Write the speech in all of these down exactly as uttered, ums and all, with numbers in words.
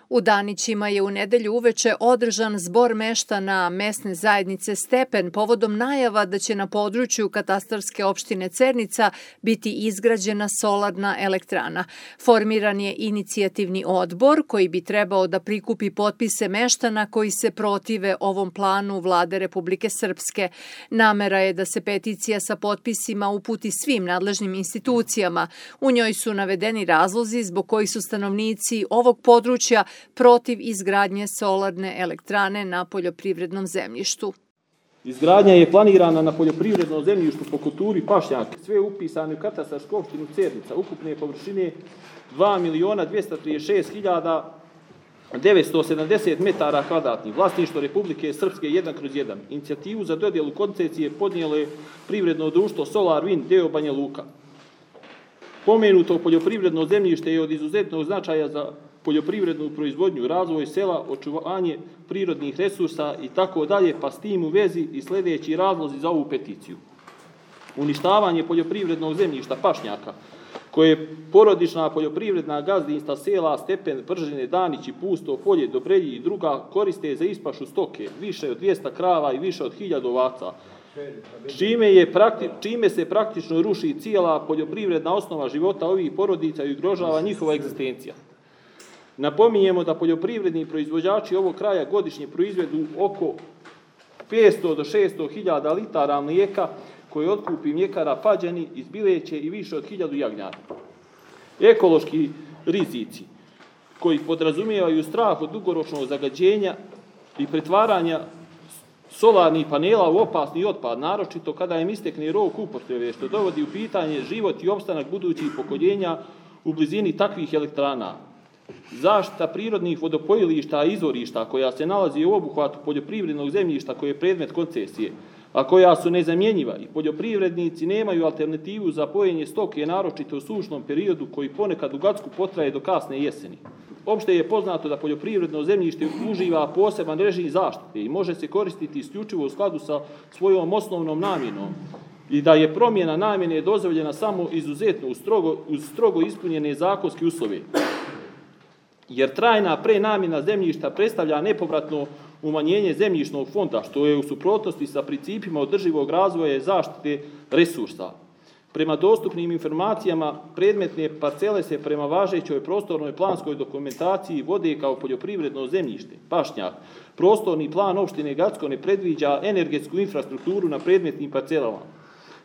U Danićima je u nedelju uveče održan zbor meštana mesne zajednice Stepen povodom najava da će na području katastarske opštine Cernica biti izgrađena solarna elektrana. Formiran je inicijativni odbor koji bi trebao da prikupi potpise meštana koji se protive ovom planu vlade Republike Srpske. Namera je da se peticija sa potpisima uputi svim nadležnim institucijama. U njoj su navedeni razlozi zbog kojih su stanovnici ovog područja protiv izgradnje solarne elektrane na poljoprivrednom zemljištu. Izgradnja je planirana na poljoprivrednom zemljištu po kulturi pašnjak. Sve je upisano u katastarsku opštinu Cernica, ukupne površine dva miliona dvesta trideset šest hiljada devetsto sedamdeset metara kvadratnih. Vlasništvo Republike Srpske jedan kroz jedan. Inicijativu za dodjelu koncesije podnijelo je privredno društvo Solar Wind deo Banja Luka. Pomenuto poljoprivredno zemljište je od izuzetnog značaja za poljoprivrednu proizvodnju, razvoj sela, očuvanje prirodnih resursa i tako dalje, pa s tim u vezi i sljedeći razlozi za ovu peticiju. Uništavanje poljoprivrednog zemljišta pašnjaka, koje porodična poljoprivredna gazdinstva sela Stepen, Pržine, Danići, Pusto, Polje, Dobrelji i druga koriste za ispašu stoke, više od dvjesto krava i više od hiljadu ovaca, čime, je prakti, čime se praktično ruši cijela poljoprivredna osnova života ovih porodica i ugrožava njihova egzistencija. Napominjemo da poljoprivredni proizvođači ovog kraja godišnje proizvedu oko petsto do šesto hiljada litara mlijeka koje otkupi mljekara Pađani iz Bileće i više od hiljadu jagnjara. Ekološki rizici koji podrazumijevaju strah od dugoročnog zagađenja i pretvaranja solarnih panela u opasni otpad, naročito kada im istekne rok upotrebe, što dovodi u pitanje život i opstanak budućih pokoljenja u blizini takvih elektrana. Zaštita prirodnih vodopojilišta i izvorišta koja se nalazi u obuhvatu poljoprivrednog zemljišta koje je predmet koncesije, a koja su nezamjenjiva i poljoprivrednici nemaju alternativu za pojenje stoke, naročito u sušnom periodu koji ponekad u Gacku potraje do kasne jeseni. Opšte je poznato da poljoprivredno zemljište uživa poseban režim zaštite i može se koristiti isključivo u skladu sa svojom osnovnom namjenom i da je promjena namjene dozvoljena samo izuzetno uz strogo, uz strogo ispunjene zakonske uslove. Jer trajna prenamjena zemljišta predstavlja nepovratno umanjenje zemljišnog fonda, što je u suprotnosti sa principima održivog razvoja i zaštite resursa. Prema dostupnim informacijama, predmetne parcele se prema važećoj prostornoj planskoj dokumentaciji vode kao poljoprivredno zemljište, pašnjak. Prostorni plan opštine Gacko ne predviđa energetsku infrastrukturu na predmetnim parcelama,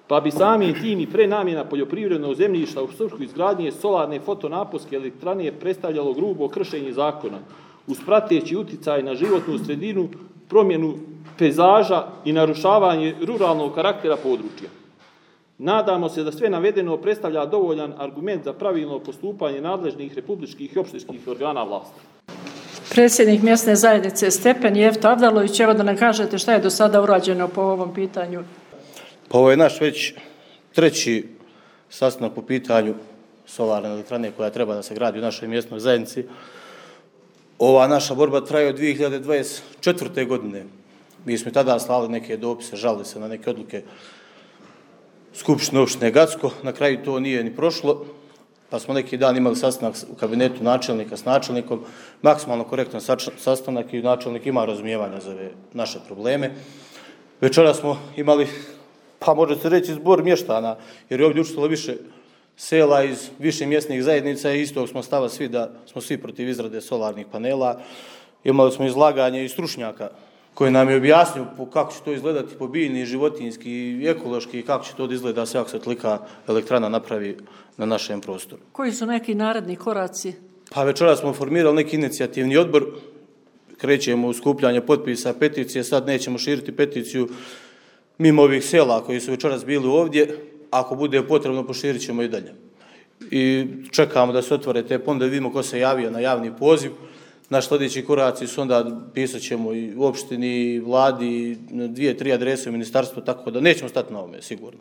pa bi samim tim i prenamjena poljoprivrednog zemljišta u svrhu izgradnje solarne fotonaponske elektrane predstavljalo grubo kršenje zakona, uz prateći uticaj na životnu sredinu, promjenu pejzaža i narušavanje ruralnog karaktera područja. Nadamo se da sve navedeno predstavlja dovoljan argument za pravilno postupanje nadležnih republičkih i opštinskih organa vlasti. Predsjednik mjesne zajednice Stepen Jefto Avdalović, evo da nam kažete šta je do sada urađeno po ovom pitanju. Pa ovo je naš već treći sastanak po pitanju solarne elektrane koja treba da se gradi u našoj mjesnoj zajednici. Ova naša borba traje od dvije hiljade dvadeset četvrte. godine. Mi smo tada slali neke dopise, žalili se na neke odluke Skupštine opštine Gacko. Na kraju to nije ni prošlo, pa smo neki dan imali sastanak u kabinetu načelnika s načelnikom, maksimalno korektan sastanak i načelnik ima razumijevanja za ove naše probleme. Večera smo imali, pa može se reći, zbor mještana, jer je ovdje učestvovalo više sela iz više mjesnih zajednica i istog smo stava svi da smo svi protiv izrade solarnih panela. Imali smo izlaganje i stručnjaka koji nam je objasnio kako će to izgledati po biljni, životinjski i ekološki i kako će to izgleda sve ako se tolika elektrana napravi na našem prostoru. Koji su neki naredni koraci? Pa večera smo formirali neki inicijativni odbor, krećemo u skupljanje potpisa peticije, sad nećemo širiti peticiju mimo ovih sela koji su večeras bili ovdje, ako bude potrebno poširit ćemo i dalje. I čekamo da se otvore te ponude, vidimo ko se javio na javni poziv. Naš sljedeći koraci su onda pisat ćemo i u opštini, i vladi, dvije, tri adrese u ministarstvu, tako da nećemo stati na ovome, sigurno.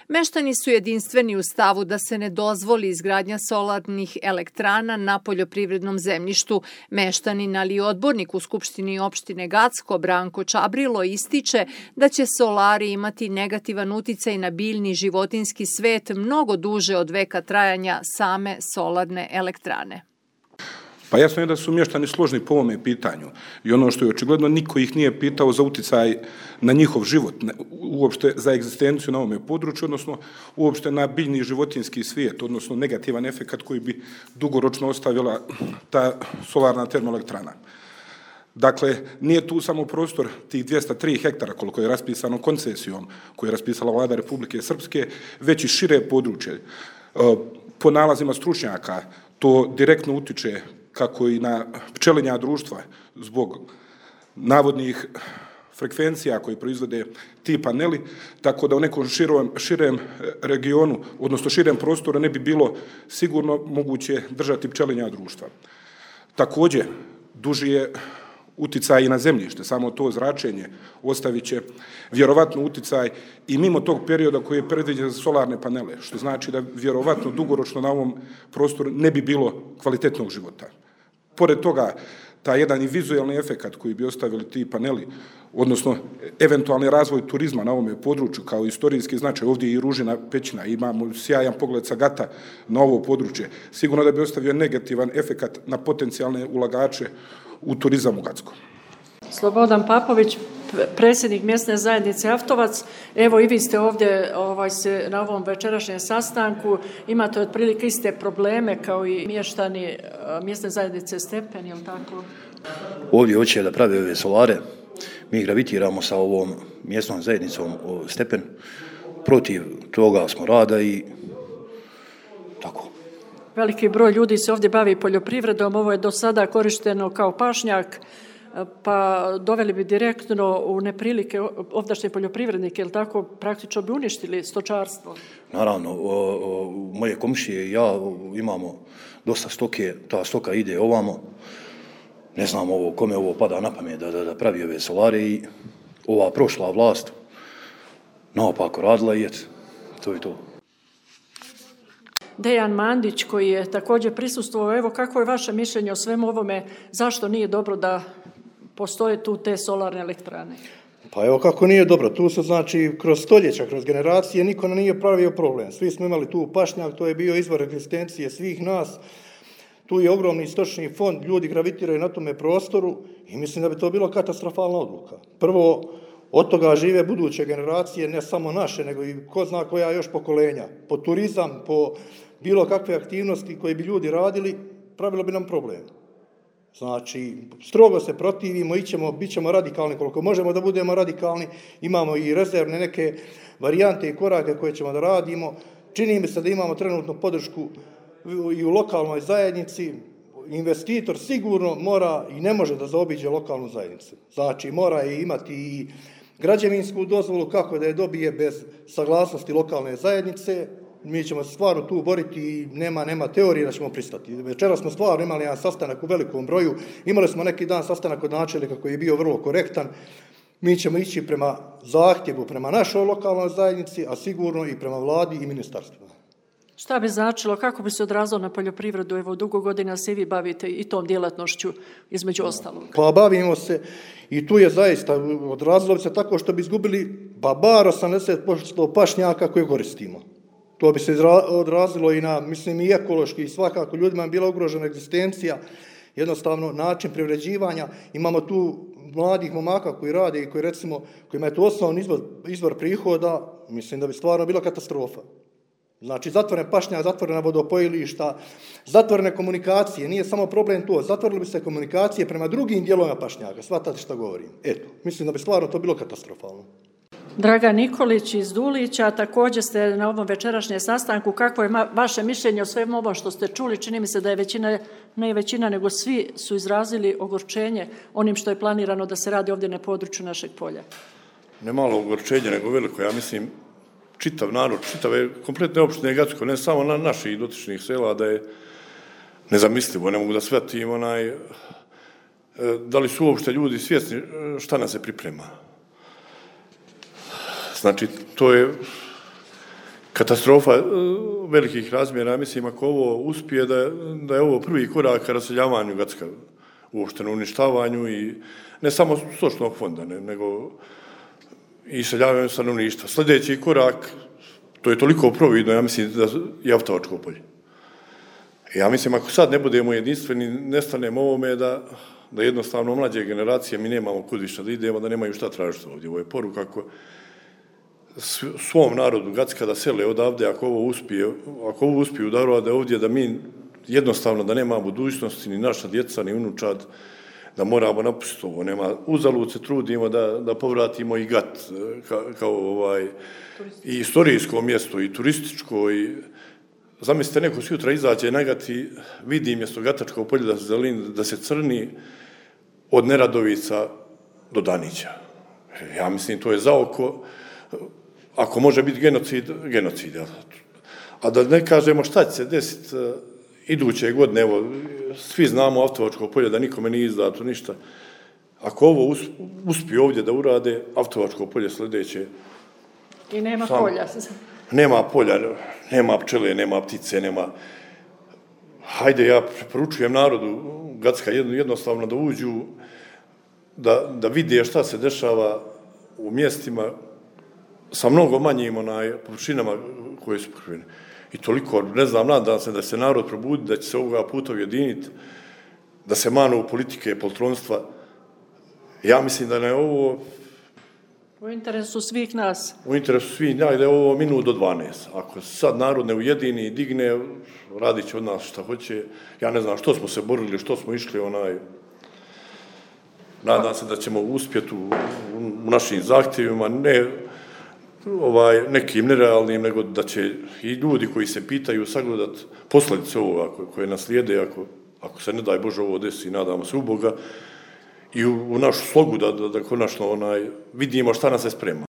Meštani su jedinstveni u stavu da se ne dozvoli izgradnja solarnih elektrana na poljoprivrednom zemljištu. Meštanin, ali i odbornik u Skupštini opštine Gacko, Branko Čabrilo, ističe da će solari imati negativan uticaj na biljni životinjski svet mnogo duže od veka trajanja same solarne elektrane. Pa jasno je da su mještani složni po ovome pitanju i ono što je očigledno, niko ih nije pitao za uticaj na njihov život, uopšte za egzistenciju na ovome području, odnosno uopšte na biljni životinski svijet, odnosno negativan efekt koji bi dugoročno ostavila ta solarna termoelektrana. Dakle, nije tu samo prostor tih dvjesto tri hektara koliko je raspisano koncesijom koju je raspisala vlada Republike Srpske, već i šire područje. Po nalazima stručnjaka to direktno utiče kako i na pčelinja društva zbog navodnih frekvencija koje proizvode ti paneli, tako da u nekom širom, širem regionu, odnosno širem prostoru ne bi bilo sigurno moguće držati pčelinja društva. Također, duži je uticaj i na zemljište, samo to zračenje ostavit će vjerovatno uticaj i mimo tog perioda koji je predviđen za solarne panele, što znači da vjerovatno dugoročno na ovom prostoru ne bi bilo kvalitetnog života. Pored toga, taj jedan i vizualni efekt koji bi ostavili ti paneli, odnosno eventualni razvoj turizma na ovome području kao istorijski značaj, ovdje je i Ružina pećina, imamo sjajan pogled sa Gata na ovo područje, sigurno da bi ostavio negativan efekt na potencijalne ulagače u turizam u Gackom. Slobodan Papović, predsjednik mjesne zajednice Avtovac. Evo i vi ste ovdje ovaj, se, na ovom večerašnjem sastanku. Imate otprilike iste probleme kao i mještani mjesne zajednice Stepen, je li tako? Ovdje hoće da prave ove solare. Mi gravitiramo sa ovom mjesnom zajednicom Stepen. Protiv toga smo rada i tako. Veliki broj ljudi se ovdje bavi poljoprivredom. Ovo je do sada korišteno kao pašnjak, pa doveli bi direktno u neprilike ovdašnje poljoprivrednike, ili tako, praktično bi uništili stočarstvo? Naravno, o, o, moje komšije i ja imamo dosta stoke, ta stoka ide ovamo, ne znam ovo, kome ovo pada na pamet da, da, da pravi ove solare i ova prošla vlast naopako radila i et, to je to. Dejan Mandić, koji je također prisustvovao, evo kako je vaše mišljenje o svemu ovome, zašto nije dobro da postoje tu te solarne elektrane? Pa evo kako nije dobro, tu se znači kroz stoljeća, kroz generacije niko nije pravio problem. Svi smo imali tu pašnjak, to je bio izvor egzistencije svih nas, tu je ogromni stočni fond, ljudi gravitiraju na tome prostoru i mislim da bi to bilo katastrofalna odluka. Prvo, od toga žive buduće generacije, ne samo naše, nego i ko zna koja još pokolenja. Po turizam, po bilo kakve aktivnosti koje bi ljudi radili, pravilo bi nam problem. Znači, strogo se protivimo, ićemo, bit ćemo radikalni koliko možemo da budemo radikalni, imamo i rezervne neke varijante i korake koje ćemo da radimo. Čini mi se da imamo trenutno podršku i u lokalnoj zajednici. Investitor sigurno mora i ne može da zaobiđe lokalnu zajednicu. Znači, mora je imati i građevinsku dozvolu kako da je dobije bez saglasnosti lokalne zajednice. Mi ćemo se stvarno tu boriti i nema, nema teorije da ćemo pristati. Večera smo stvarno imali jedan sastanak u velikom broju, imali smo neki dan sastanak od načelnika koji je bio vrlo korektan. Mi ćemo ići prema zahtjevu, prema našoj lokalnoj zajednici, a sigurno i prema vladi i ministarstvu. Šta bi značilo, kako bi se odrazilo na poljoprivredu? Evo, dugo godina se i vi bavite i tom djelatnošću, između ostalog. Pa bavimo se i tu je zaista odrazilo bi se tako što bi izgubili pa bar osamdeset posto pašnjaka koje koristimo. To bi se odrazilo i na, mislim, i ekološki i svakako ljudima je bila ugrožena egzistencija, jednostavno način privređivanja. Imamo tu mladih momaka koji rade i koji recimo, kojima je to osnovni izvor, izvor prihoda, mislim da bi stvarno bila katastrofa. Znači, zatvorene pašnjak, zatvorena vodopojilišta, zatvorene komunikacije, nije samo problem to, zatvorili bi se komunikacije prema drugim dijelovima pašnjaka, shvatate što govorim. Eto, mislim da bi stvarno to bilo katastrofalno. Dragan Nikolić iz Dulića, također ste na ovom večerašnjem sastanku. Kako je vaše mišljenje o svemu ovom što ste čuli? Čini mi se da je većina, ne većina, nego svi su izrazili ogorčenje onim što je planirano da se radi ovdje na području našeg polja. Ne malo ogorčenje, nego veliko. Ja mislim, čitav narod, čitave kompletne opštine Gacko, ne samo na naših dotičnih sela, da je nezamislivo. Ne mogu da shvatim onaj, da li su uopšte ljudi svjesni šta nas se priprema. Znači, to je katastrofa velikih razmjera. Mislim, ako ovo uspije, da je, da je ovo prvi korak ka raseljavanju Gacka, uopšte na uništavanju i ne samo stočnog fonda, ne, nego i seljavanju stanovništva. Sljedeći korak, to je toliko providno, ja mislim, da je Avtovačko polje. Ja mislim, ako sad ne budemo jedinstveni, nestanemo ovome da, da jednostavno mlađe generacije, mi nemamo kud više da idemo, da nemaju šta tražiti ovdje. Ovo je poruka ako svom narodu Gacka da sele odavde, ako ovo uspije, ako ovo uspiju da urade ovdje, da mi jednostavno da nema budućnosti, ni naša djeca, ni unučad, da moramo napustiti ovo. Nema, uzalud se trudimo da, da povratimo i Gat ka, kao ovaj, i istorijsko mjesto, i turističko, i zamislite, neko sutra izađe na Gat i vidi mjesto Gatačkog polja da se zeleni, da se crni od Neradovica do Danića. Ja mislim, to je za oko. Ako može biti genocid, genocid. A da ne kažemo šta će se desiti iduće godine, evo, svi znamo Avtovačko polje da nikome nije izdato ništa. Ako ovo uspije ovdje da urade, Avtovačko polje sljedeće. I nema sam, polja. Nema polja, nema pčele, nema ptice, nema. Hajde, ja preporučujem narodu Gacka jednostavno da uđu, da, da vide šta se dešava u mjestima sa mnogo manjim onaj, površinama koje su pokrivene. I toliko, ne znam, nadam se da se narod probudi, da će se ovoga puta ujediniti, da se manu politike, poltronstva. Ja mislim da je ovo... U interesu svih nas. U interesu svih nas, da je ovo minut do dvanaest. Ako sad narod ne ujedini i digne, radit će od nas šta hoće. Ja ne znam što smo se borili, što smo išli, onaj... Nadam se da ćemo uspjeti u, u našim zahtjevima, ne ovaj, nekim nerealnim, nego da će i ljudi koji se pitaju sagledati posljedice ovoga koje nas slijede, ako, ako se ne daj Bože ovo desi, nadamo se u Boga, i u, u našu slogu da, da, da konačno onaj, vidimo šta nas se sprema.